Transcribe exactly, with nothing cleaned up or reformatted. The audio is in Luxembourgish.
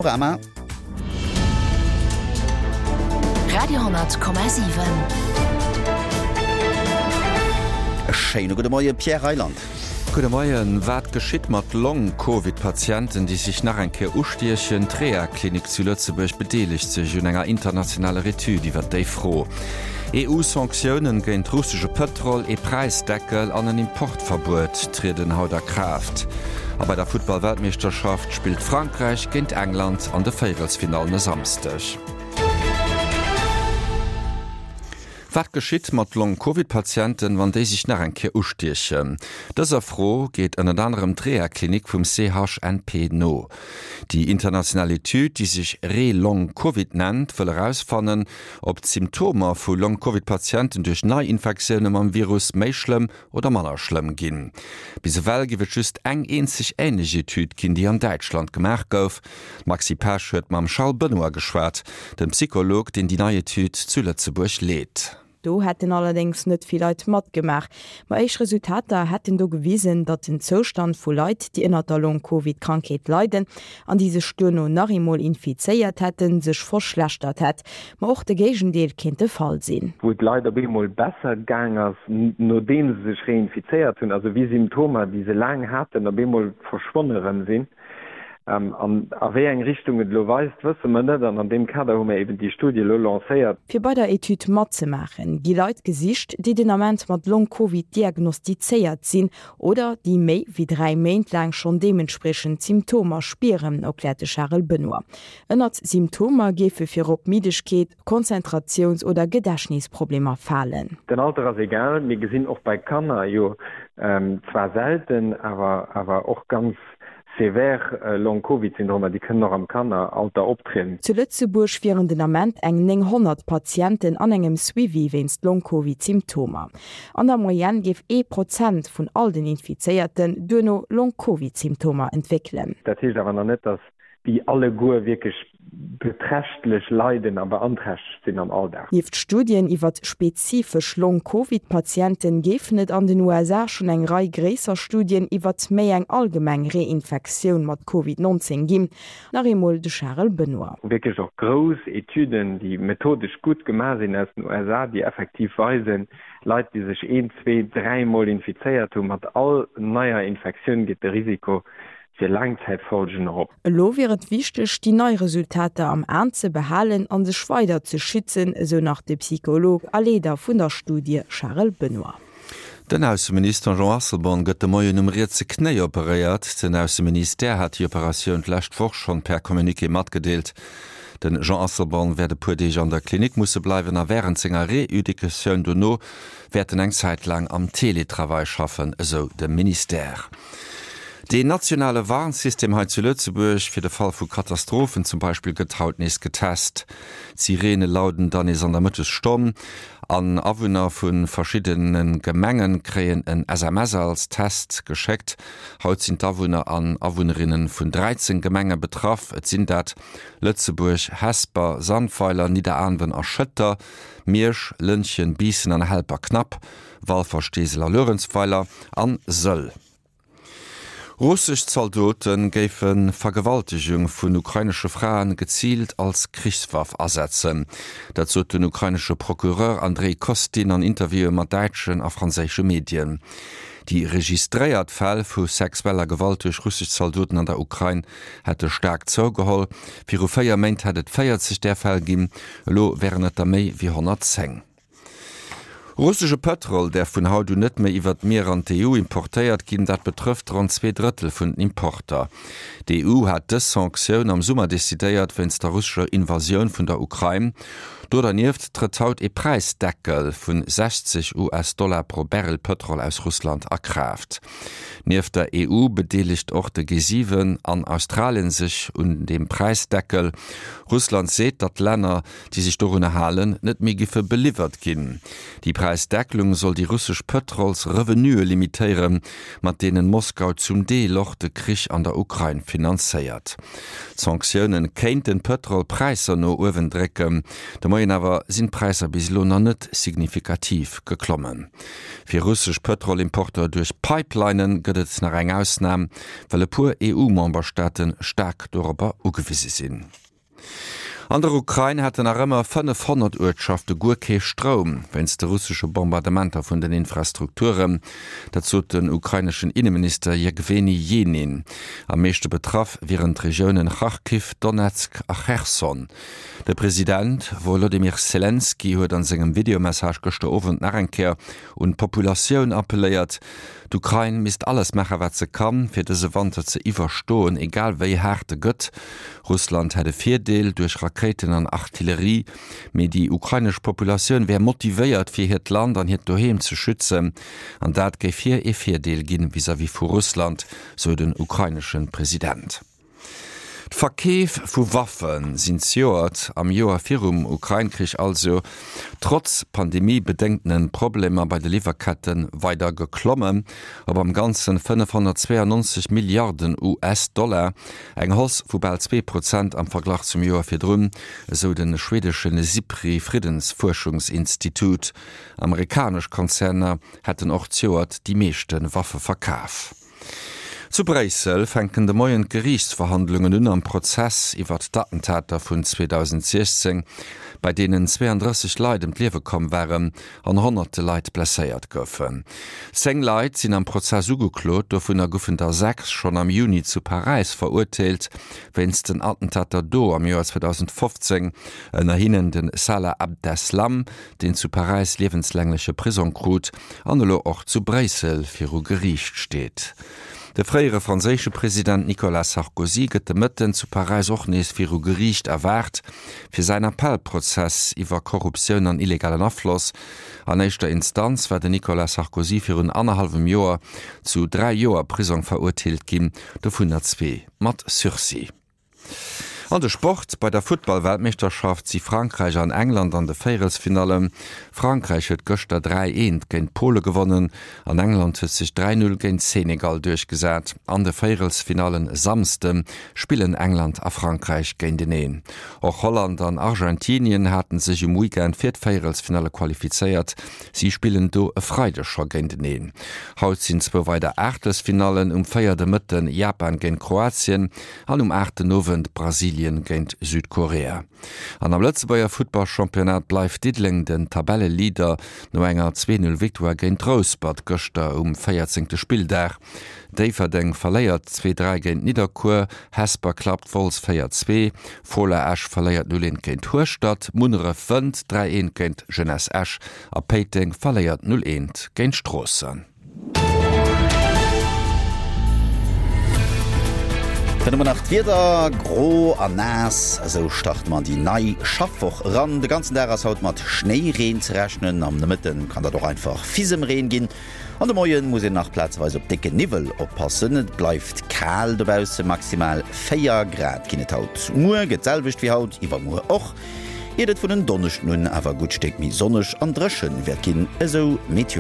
Panorama. Radio hundert Komma siwen. E schéine gudde Moie Pierre Reyland. Gudde Moien. Wat geschitt mat Long-Covid-Patienten, déi sech nach eng Kéier ustiechen? D'Rehaklinik zu Lëtzebuerg bedeelegt sech un enger internationaler Etüd iwwer déi Fro. E U-Sanktiounen géint russesche Pëtrol, ee Präisdeckel an en Importverbuet trieden haut a Kraaft. A bei der Futtball-Weltmeeschterschaft spillt Frankräich géint England an de Véierelsfinallen e Samsdeg. Wat geschitt mat Long-Covid-Patienten, wann déi sech nach eng Kéier ustiechen? Dëser Fro geet ënnert anerem d'Rehaklinik vum C H N P no. Déi international Etüd, déi sech Re-Long-Covid nennt, wëll erausfannen, ob d'Symptomer vu Long-Covid-Patienten duerch Neiinfektioune mam Virus méi schlëmm oder manner schlëmm ginn. Bis ewell géif et just eng eenzeg änlech Etüd ginn, déi an Däitschland gemaach gouf. D'Maxi Pesch huet mam Charles Benoy geschwat, dem Psycholog, deen déi nei Etüd zu Lëtzebuerg leet. Do hätten allerdéngs net vill Leit matgemaach. Ma éischt Resultater hätten do gewisen, datt den Zoustand vu Leit, déi ënner der Long-Covid-Krankheet leiden an déi sech duerno nach eemol infizéiert hätten, sech verschlechtert hätt. Ma och de Géigendeel kéint de Fall sinn. Wou et Leit op eemol besser gaang ass, nodeem se sech reinfizéiert hunn, also wéi Symptomer, déi se laang haten, op eemol verschwonne rëm sinn. An a wéi eng Richtung et elo weist, wësse mer net, an an deem Kader hu mer eben déi Studie elo lancéiert. Fir bei der Etüd matzemaachen, gi Leit gesicht, déi den Ament mat Long-Covid diagnostizéiert sinn oder déi méi wéi dräi Méint laang schonn deementspriechend Symptomer spieren, erkläert de Charel Benoy. Ënnert Symptomer géife virop Middegkeet, Konzentratiouns- oder Gedächtnisproblemer falen. Den Alter ass egal, mir gesinn och bei Kanner jo zwar selten, awer awer och ganz sévère Long-Covid-Syndromer, déi kënnen och am Kanneralter optrieden. Zu Lëtzebuerg wieren den Ament eng nénghonnert Patienten an engem Suivi wéinst Long-Covid-Symptomer. An der Moyenne géif ee Prozent vun all den Infizéierten duerno Long-Covid-Symptomer entwéckelen. Dat heescht awer nach net, datt déi alleguer wierklech beträchtlech leiden a beanträchtegt sinn am Alldag. Nieft Studien iwwer spezifesch Long-Covid-Patienten géifen et an den U S A schonn eng Rei gréisser Studien iwwer méi eng allgemeng Reinfektioun mat Covid neunzéng ginn. Nach eemol de Charel Benoy. Wierklech och grouss Etüden, déi methodesch gutt gemaach sinn aus den U S A, déi effektiv weisen, Leit, déi sech een, zwee, dräi Mol infizéiert hunn, mat all neier Infektioun geet de Risiko fir Laangzäitfolgen erop. Elo wier et wichteg, déi nei Resultater am An ze behalen an sech weider ze schützen, esou nach de Psycholog a Leeder vun der Studie Charel Benoy. Den Ausseminister Jean Asselborn gëtt de Moien um rietse Knéi operéiert. Den Ausseministère hat déi Operatioun d'lescht Woch schonn per Communiqué matgedeelt. Den Jean Asselborn wäert e puer Deeg an der Klinik musse bleiwen a wärend senger Reeducatioun dono wäert en eng Zäit laang am Teletravail schaffen, esou de Ministère. Den nationale Warnsystem hei zu Lëtzebuerg fir de Fall vu Katastrophen zum Beispill gëtt haut nees getest. D'Sirene lauden dann nees an der Mëttesstonn an Awunner vu verschiddene Gemenge kréien en S M S als Test geschéckt. Haut sinn d'Awunner an Awunnerinne vun dräizéng Gemenge betraff. Et sinn dat Lëtzebuerg, Hesper, Sandweiler, Nidderaanwen a Schëtter, Miersch, Lëntgen, Biissen an Helperknapp, Walfer, Steesel a Luerenzweiler an Sëll. Russesch Zaldote géife Vergewaltegung vun ukrainesche Fraen geziilt als Krichswaff asetzen. Dat sot den ukrainesche Procureur Andrei Kostin an Interviewe mat däitschen a franséische Medien. Déi registréiert Fäll vu sexueller Gewalt duerch russesch Zaldoten an der Ukrain hätte staark zougeholl. Viru véier Méint hätt et véierzeg där Fäll ginn, elo wären et der méi wéi honnertzéng. Russesche Pëtrol däerf vun haut un net méi iwwer d'Mier an d'E U importéiert ginn, dat betrëfft ronn zwee Drëttel vun den Importer. D'E U hat dës Sanktioun am Summer decidéiert wéinst der russescher Invasioun vun der Ukrain. Do dernieft trëtt haut e Präisdeckel vun sechzeg U S-Dollar pro Barrel Pëtrol aus Russland a Kraaft. Nieft der E U bedeelegt och de G siwen an Australien sech un dem Präisdeckel. Russland seet, datt Länner, déi sech dorunner halen, net méi géife beliwwert ginn. Déi Präisdeckelung soll déi russesch Pëtrolsrevenuë limitéieren, mat deenen Moskau zum Deel och de Krich an der Ukrain finanzéiert. D'Sanktioune kéinten d'Pëtrolpräisser no uewen drécken. De Moien awer sinn d'Präisser bis elo nach net signifikativ geklommen. Fir russesch Pëtrolimporter duerch Pipelinen gëtt et nach eng Ausnam, well e puer EU-Memberstaate staark dorobber ugewise sinn. An der Ukrain hätten nach ëmmer fënnefhonnert Uertschafte guer kee Stroum, wéinst de russesche Bombardementer vun den Infrastrukturen. Dat sot den ukraineschen Inneminister Jewgeni Jenin. Am meeschte betraff wieren d'Regiounen Charkiw, Donezk a Cherson. De President Wolodymyr Selenskyj huet an sengem Videomessage gëschter Owend nach eng Kéier un d'Populatioun appelléiert. D'Ukrain misst alles maachen, wat se kann, fir dëse Wanter ze iwwerstoen, egal wéi haart e gëtt. Russland hätt e Virdeel duerch Rakéiten an Artillerie, mee déi ukrainesch Populatioun wär motivéiert, fir hiert Land an hiert Doheem ze schützen, an dat géif hir e Virdeel ginn vis-à-vis vu Russland, sou den ukrainesche President. D'Verkeef vu Waffe sinn zejoert, am Joer virum Ukrain-Krich also, trotz Pandemie-bedéngtene Problemer bei de Liwwerketten, weider geklommen, op am Ganzen fënnefhonnertzweeanonzeg Milliarden US-Dollar, eng Hausse vu bal zwee Prozent am Verglach zum Joer virdrun, esou de schweedesche SIPRI-Friddensfuerschungsinstitut. Amerikanesch Konzerner hätten och zejoert déi meeschte Waffe verkaf. Zu Bréissel fänken de Moien d'Geriichtsverhandlungen un am Prozess iwwert d'Attentater vun zweedausendsiechzéng, bei deenen zweeëndrësseg Leit ëm d'Liewe komm waren an honnerte Leit blesséiert goufen. Zéng Leit sinn am Prozess ugeklot, dovunner goufen der sechs schonn am Juni zu Paräis verurteelt wéinst den Attentater do am Joer zweedausendfofzéng, ënner hinnen de Salah Abdeslam, deen zu Paräis liewenslängleche Prisong krut an elo och zu Bréissel viru Geriicht steet. De fréiere franséische President Nicolas Sarkozy gëtt de Mëtten zu Paräis och nees viru Geriicht erwaart, fir säin Appellprozess iwwer Korruptioun an illegalen Afloss. An éischter Instanz war den Nicolas Sarkozy virun annerhallwem Joer zu dräi Joer Prisong verurteelt ginn, dovunner zwee mat Sursis. An de Sport, Bei der Futtball-Weltmeeschterschaft si Frankräich an England an de Véierelsfinallen. Frankräich huet gëschter dräi eent géint Pole gewonnen an England huet sech dräi null géint Senegal duerchgesat. An de Véierelsfinallen e Samsde spillen England a Frankräich géinteneen. Och Holland an Argentinien haten sech um Weekend fir d'Véierelsfinalle qualifizéiert. Si spillen do e Freideg scho géinteneen. Haut sinn zwou weider Aachtelsfinallen, um véier de Mëtten Japan géint Kroatien an um aacht den Owend Brasilien géint Südkorea. An am Lëtzebuerger Futtballchampionnat bleift Diddeleng den Tabelleleader no enger Zwee-Null-Victoire géint Rouspert gëschter um véierzéngte Spilldag. Déifferdeng verléiert zwee dräi géint Nidderkuer, Hesper klappt Wolz véier zwee, Fola Esch verléiert null eent géint Hueschtert, Munneref wënnt dräi eent géint Jeunesse Esch a Péiteng verléiert null eent géint Stroossen. Dann hu mer nach d'Wieder, Gro an naass, esou starte mer an déi nei Schaffwoch eran. De ganzen Dag ass haut mat Schnéireen ze rechnen, am Nomëtte kann dat och einfach Fisemreen ginn. An de Moien muss een nach plazeweis op décke Niwwel oppassen. Et bleift kal dobausse, maximal véier Grad ginn et haut. Muer gëtt d'selwecht wéi haut, iwwermuer och, iert et vun en Donneschden un awer e gutt Stéck méi sonneg an dréchen wäert ginn, esou Meteolux.